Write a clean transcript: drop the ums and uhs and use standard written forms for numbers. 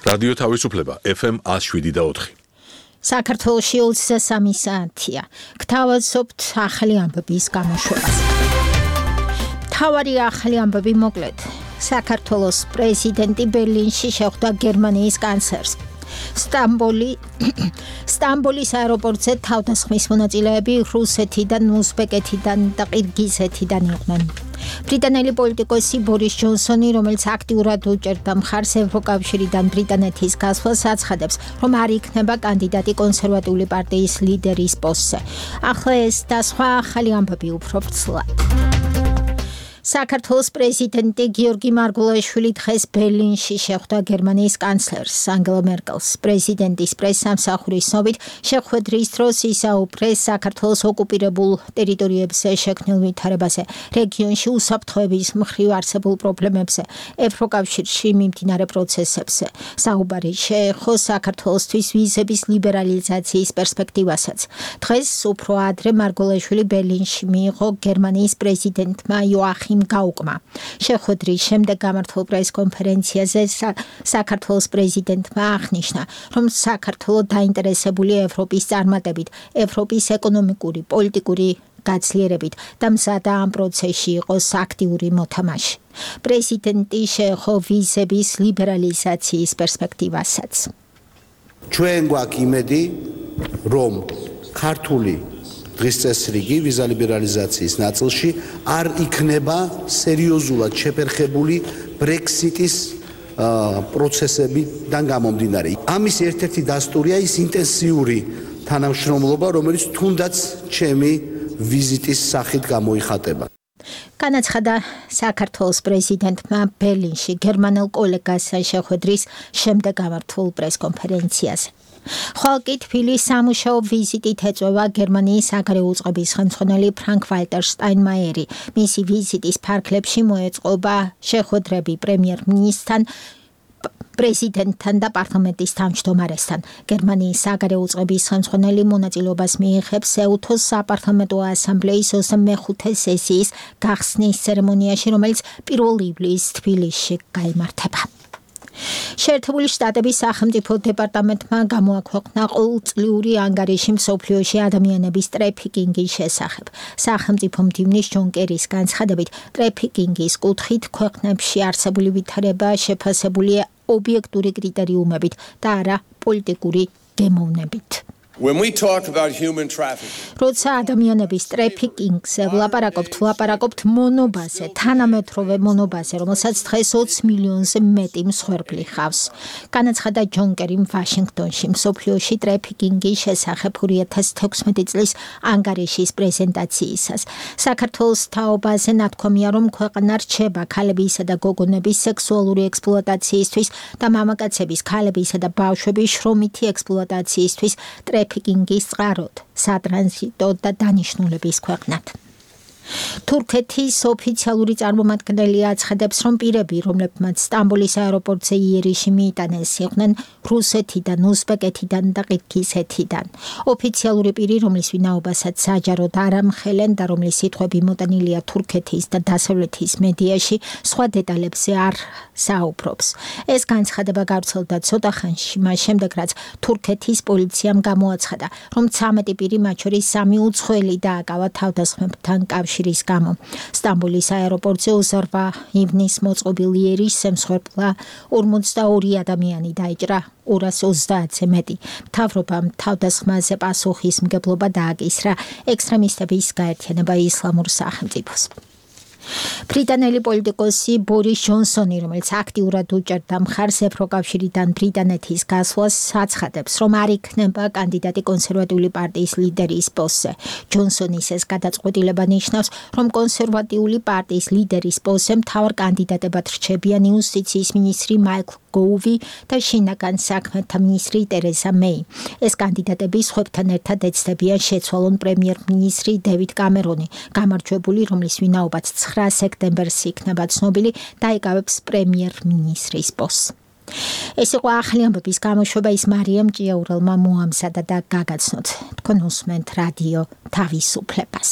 რადიო თავისუფლება FM 107.4. საქართველოში 23 საათია. გთავაზობთ ახალი ამბების გამოშვებას. მთავარი ახალი ამბები მოკლედ. საქართველოს პრეზიდენტი ბერლინში შეხვდა გერმანიის კანცლერს. სტამბოლის აეროპორტზე თავდასხმის მონაწილეები რუსეთიდან, უზბეკეთიდან და ყირგიზეთიდან იყვნენ. ბრიტანელი პოლიტიკოსი ბორის ჯონსონი, რომელიც აქტიურად უჭერდა მხარს ევროკავშირიდან ბრიტანეთის გასვლას, აცხადებს, რომ არ იქნება კანდიდატი კონსერვატიული პარტიის ლიდერის პოსტზე. ახლა ეს და სხვა ახალი ამბები უფრო ვრცლად. საქართველოს პრეზიდენტი გიორგი მარგულაშვილი დღეს ბერლინში შეხვდა გერმანიის კანცლერს ანგელა მერკელს. პრეზიდენტის პრესსამსახურის ცნობით, შეხვედრის დროს ისაუბრეს საქართველოს ოკუპირებულ ტერიტორიებზე შექმნილ ვითარებაზე, რეგიონში უსაფრთხოების მხრივ არსებულ პრობლემებზე, ევროკავშირში მიმდინარე პროცესებზე. საუბარი შეეხო საქართველოსთვის ვიზების ლიბერალიზაციის პერსპექტივასაც. დღეს უფრო ადრე მარგულაშვილი ბერლინში მიიღო გერმანიის პრეზიდენტმა იოახიმ გაუკმა. შეხვედრის შემდეგ გამართულ პრესკონფერენციაზე საქართველოს პრეზიდენტმა აღნიშნა, რომ საქართველო დაინტერესებულია ევროპის წარმატებით, ევროპის ეკონომიკური, პოლიტიკური გაძლიერებით და მზადა ამ პროცესში იყოს აქტიური მოთამაშე. პრეზიდენტი შეეხო ვიზების ლიბერალიზაციის პერსპექტივასაც. ჩვენ გვაქვს იმედი, რომ ქართული დღის წესრიგი ვიზა ლიბერალიზაციის ნაწილში არ იქნება სერიოზულად შეფერხებული ბრექსიტის პროცესებიდან გამომდინარე. ამის ერთ-ერთი დასტურია ის ინტენსიური თანამშრომლობა, რომელიც თუნდაც ჩემი ვიზიტის სახით გამოიხატება. განაცხადა საქართველოს პრეზიდენტმა ბერლინში გერმანელ კოლეგასთან შეხვედრის შემდეგ გამართულ პრესკონფერენციაზე. ხვალკი თბილის სამუშაო ვიზიტით ეწევა გერმანიის საგარეო უწყების ხელმძღვანელი ფრანკ-ვალტერ შტაინმაიერი. მისი ვიზიტის ფარგლებში მოეწყობა შეხვედრები პრემიერ-მინისტრთან, პრეზიდენტთან და პარლამენტის თავმჯდომარესთან. გერმანიის საგარეო უწყების ხელმძღვანელი მონაწილეობას მიიღებს ეუთოს საპარლამენტო ასამბლეის 25 სესიის გახსნის ცერემონიაში, რომელიც 1 ივლისს თბილისში გაიმართება. შეერთებული შტატების სახელმწიფო დეპარტამენტმა გამოაქვეყნა ყოველწლიური ანგარიში მსოფლიოში ადამიანების ტრეფიკინგის შესახებ. სახელმწიფო მდივნის ჯონ კერის განცხადებით, ტრეფიკინგის კუთხით ქვეყნებში არსებული ვითარება შეფასებულია ობიექტური კრიტერიუმებით და არა პოლიტიკური გემოვნებით. როცა ადამიანების ტრეფიკინგზე ვლაპარაკობთ მონობაზე, თანამედროვე მონობაზე, რომელსაც დღეს 20 მილიონზე მეტი მსხვერპლი ხავს. განაცხადა ჯონ კერიმ ვაშინგტონში მსოფლიოში ტრეფიკინგის შესახებ 2016 წლის ანგარიშის პრეზენტაციისას. საქართველოს თაობაზე ნათქვამია, რომ ქვეყანა რჩება ქალებისა და გოგონების სექსუალური ექსპლუატაციისთვის და მამაკაცების, ქალებისა და ბავშვების შრომითი ექსპლუატაციისთვის ტრეფიკინგის წყაროდ, სატრანზიტო და დანიშნულების ქვეყნად. თურქეთის ოფიციალური წარმომადგენელი აცხადებს, რომ პირები, რომლებმაც სტამბოლის აეროპორტზე იერიში მიიტანეს, იყვნენ რუსეთიდან, უზბეკეთიდან და ყირგიზეთიდან. ოფიციალური პირი, რომლის ვინაობასაც საჯაროდ არ ამხელენ და რომლის სიტყვები მოტანილია თურქეთის და დასავლეთის მედიაში, სხვა დეტალებზე არ საუბრობს. ეს განცხადება გავრცელდა ცოტა ხანში, მას შემდეგ, რაც თურქეთის პოლიციამ გამოაცხადა, რომ 13 პირი, მათ შორის 3 უცხოელი დააკავა თავდასხმებთან კავშირის გამო. სტამბოლის აეროპორტზე 28 ივნისს მოწყობილ იერიშზე მსხვერპლა 42 ადამიანი დაიჭრა, 230-ზე მეტი. მთავრობამ თავდასხმაზე პასუხისმგებლობა დააკისრა ექსტრემისტების გაერთიანება ისლამურ სახელმწიფოს. ბრიტანელი პოლიტიკოსი ბორის ჯონსონი, რომელიც აქტიურად უჭერდა მხარს ევროკავშირიდან ბრიტანეთის გასვლას, აცხადებს, რომ არ იქნება კანდიდატი კონსერვატიული პარტიის ლიდერის პოსტზე. ჯონსონის ეს გადაწყვეტილება ნიშნავს, რომ კონსერვატიული პარტიის ლიდერის პოსტზე მთავარ კანდიდატებად რჩებიან იუსტიციის მინისტრი მაიკლ გოუვი და შინაგან საქმეთა მინისტრი ტერეზა მეი. ეს კანდიდატები სხვებთან ერთად ეცდებიან შეცვალონ პრემიერ-მინისტრი დევიდ კამერონი, გამარჯვებული, რომლის ვინაობაც 9 სექტემბერს იქნება ცნობილი, დაიკავებს პრემიერ-მინისტრის პოსტს. ეს იყო ახალი ამბების გამოშვება, ის მარიამ ჭიაურელმა მოამზადა და გაგაცნოთ. თქვენ უსმენთ რადიო თავისუფლებას.